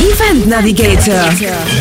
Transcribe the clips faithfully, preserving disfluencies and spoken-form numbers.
Event Navigator,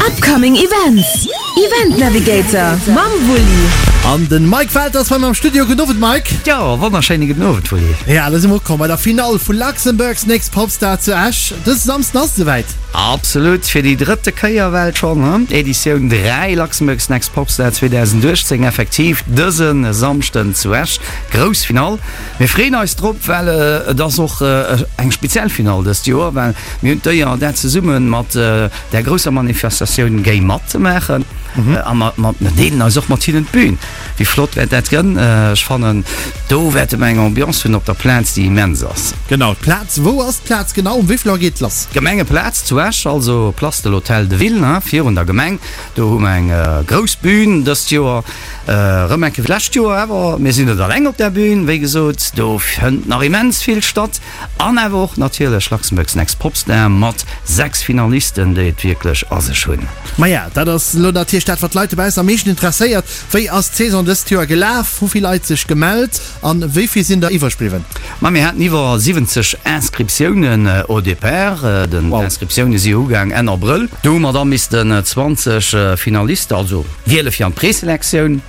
Upcoming Events, Event Navigator mam Wulli. An den Mike Welter ass bei mir am Studio. Gudden Owend Mike. Jo, wonnerschéine gudden Owend Wulli. Ja, da si mer ukomm bei der Finall vu Luxembourg's Next Popstar zu Esch. Dëse Samsden ass et esouwäit. Absolut, fir déi drëtte Kéier well schonn, he? Editioun dräi Luxembourg's Next Popstar zweedausendachtzéng effektiv dëse Samschden zu Esch. Grouss Finall. Mir freeën eis drop, well et ass och eng speziell Finall dëst Joer, well mir hunn d'Éier dat zesumme mat där grousser Manifestatioun Géi mat ze maachen a mer deelen eis och mat hinnen d'Bün. Wéi flott wäert dat gënn? Ech fannen, do wäerte mer eng Ambiance hunn op der Plaz, déi immens ass. Genau, d'Plaz. Wou ass d'Plaz genau? Um wéi vill Auer geet et lass? D'Gemengeplaz zu Esch, also Place de l'Hôtel de Ville, virun der Gemeng. Do hu mer eng grouss Bün dëst Joer. Erëm eng Kéier wéi d'lescht Joer, awer mir sinn net alleng op där Bün, wéi gesot, do fënnt nach immens vill statt. An awer och natierlech Luxembourg's Next Popstar mat sechs Finalisten, déi et wierklech a sech hunn. Maja, dat ass elo natierlech dat, wat d'Leit dobaussen am meeschten interesséiert. Wéi ass d'Saison dëst Joer gelaf? Hu vill Leit sech gemellt an wéi vill sinn der iwwreg bliwwen? Ma mir haten iwwer siwwenzeg Inscriptiounen au départ. Den Inscriptioune si ugaang Enn Abrëll. Do hu mer da missten zwanzeg Finaliste, also wiele fir an d'Preselektioun.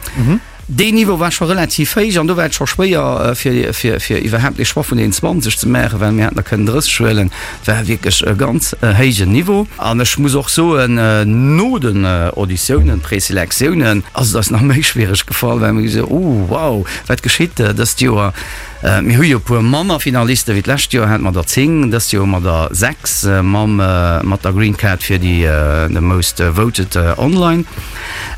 Deen Niveau war scho relativ héich an do war et scho schwéier, fir, fir, fir iwwerhaapt ee Choix vun deenen zwanzeg ze maachen, well mir hätten der kënnen drësseg huelen. Et war wierklech e ganz héijen Niveau. An ech muss och soen, no den Auditiounen, Preselektiounen, ass et eis nach méi schwiereg gefall, well mir gesot hunn, Oh, wow, wat geschitt dëst Joer? Mir hu jo e puer manner Finaliste wéi d'lescht Joer, hate mer der zéng, dëst Joer hu mer der sechs mam, mat der Green Card fir déi the most voted online.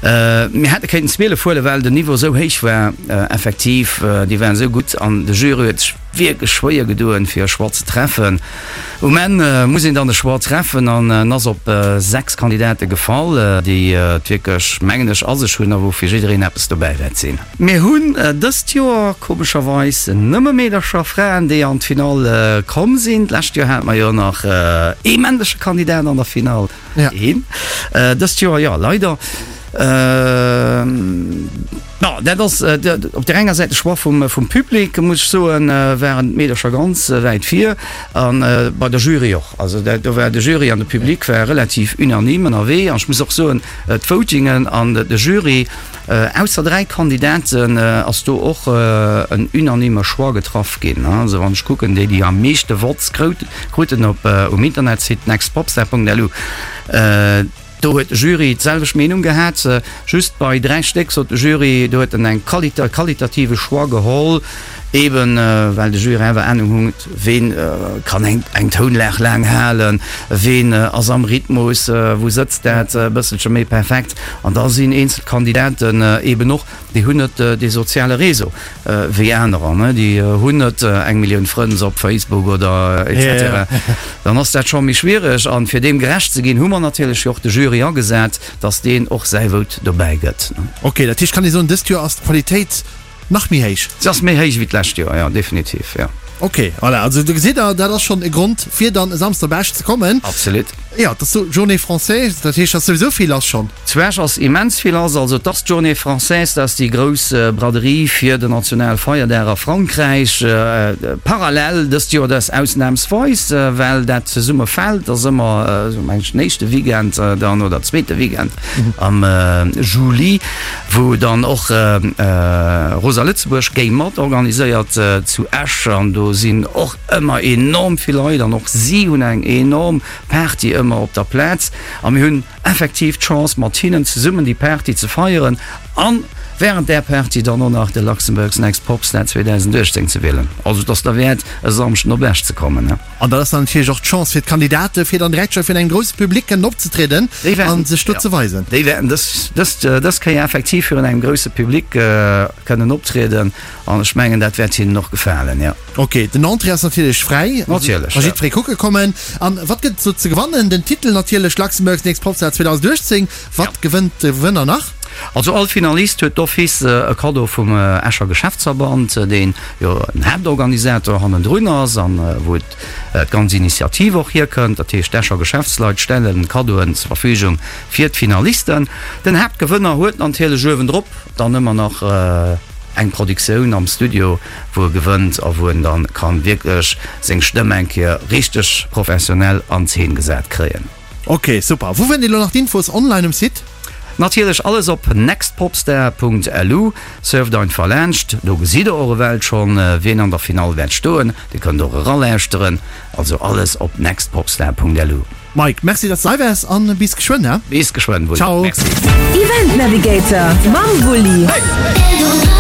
Mir hätte kéinten zwielef huelen, well den Niveau esou héich war, effektiv, déi waren esou gutt an de Jury huet sech wierklech schwéier gedoen, fir e Choix ze treffen. Um Enn muss een dann e Choix treffen an en ass op sechs Kandidate gefall, déi et wierklech, mengen ech, a sech hunn a wou fir jiddereen eppes dobäi wäert sinn. Mir hunn dëst Joer komescherweis nëmme Meedercher, Fraen, déi an d'Finall komm sinn. D'lescht Joer hate mer jo nach ee männleche Kandidat an der Finall. Een. Dëst Joer, jo, leider. Bon, dat ass op där enger Säit de Choix vum, vum Public, muss ech soen, waren d'Meedercher ganz wäit vir a bei der Jury och. Also dat, do war de Jury an de Public war relativ unanime ënnerwee. An ech muss och soen, d'Votingen an de Jury, ausser dräi Kandidaten, ass do och en unanime Choix getraff ginn. Also wann ech kucken, déi, déi am meeschte Votes krout, kruten op, um Internetsite nextpopstar Punkt lu, do huet de Jury d'selwecht Meenung gehat. Just bei dräi Stéck sot de Jury, do huet en eng qualita, qualitative Choix geholl, eben well de Jury awer Ahnung huet, ween kann eng, eng Tounlag laang halen, ween ass am Rhythmus, wou sëtzt dat e bësselche méi perfekt. An da sinn eenzel Kandidaten eben och, déi hunn net dee soziale Réseau wéi anerer, ne, déi hunn net eng Millioun Frënn op Facebook oder et cetera. Dann ass dat scho méi schwiereg. An fir deem gerecht ze ginn, hu mer natierlech jo och de Jury agesat, dass deen och säi Vote dobäi gëtt. Ok, dat heescht, kann ee soen, dëst Joer ass d'Qualitéit nach méi héich? Se ass méi héich wéi d'lescht Joer, jo, definitiv, jo. Ok, voilà, also do gesitt Der, dat ass schonn e Grond, fir dann e Samsden op Esch ze kommen. Absolut. Jo, et ass sou Journée Française, dat heescht, et ass souwisou vill lass schonn. Zu Esch ass immens vill lass. Also et ass d'Journée Française, dat ass déi grouss Braderie fir den Nationalfeierdag a Frankräich. Parallel dëst Joer, dat ass ausnamsweis, well dat zesumme fält, ass ëmmer esou meng ech den éischte Weekend dann oder zweete Weekend am Juli, wou dann och Rosa Lëtzebuerg géi mat organiséiert zu Esch an do sinn och ëmmer enorm vill Leit an och si hunn eng enorm Party ëmmer op der Plaz a mir hunn effektiv d'Chance mat hinnen zesummen déi Party ze feieren an während där Party dann och nach de Luxembourg's Next Popstar zweedausendachtzéng ze wielen. Also et ass derwäert e Samschden op Esch ze kommen. An dat ass dann natierlech och d'Chance fir d'Kandidate fir dann direkt scho virun engem grousse Public kënnen opzetrieden a sech do ze weisen. Déi wäerten dës, dës, dës Kéier effektiv virun engem grousse Public kënnen optrieden an ech mengen dat wäert hinnen och gefalen, jo. Ok, den Entrée ass natierlech fräi, Natierlech, ka jiddweree kucke kommen. An wat gëtt et do ze gewannen? Den Titel natierlech, Luxembourg's Next Popstar zweedausenduechtzéng. Wat gewënnt de Gewënner nach? Also all Finalist huet d'office e Kaddo vum Escher Geschäftsverband, deen jo den Haaptorganisator hannendrun ass an wou d'ganz Initiativ och hierkënnt. Dat heescht d'Escher Geschäftsleit stellen Kaddoen zur Verfügung fir d'Finalisten. Den Haaptgewënner huet natierlech uewendrop dann ëmmer nach eng Produktioun am Studio, wou e gewënnt a wou en dann kann wierklech seng Stëmm eng Kéier richteg professionell an Zeen gesat kréien. Ok, super. Wou fënnt een elo nach d'Infos? Online um Site? Natierlech alles op nextpopstar.lu. Surft einfach laanscht, do gesitt der och ewell schonn, wien an der Finall wäert stoen. Dir kënnt och eralauschteren. Also alles op nextpopstar.lu. Mike, merci dass de hei waars an bis geschwënn, he? Bis geschwënn, Wulli. Ciao. Merci. Event Navigator mam Wulli.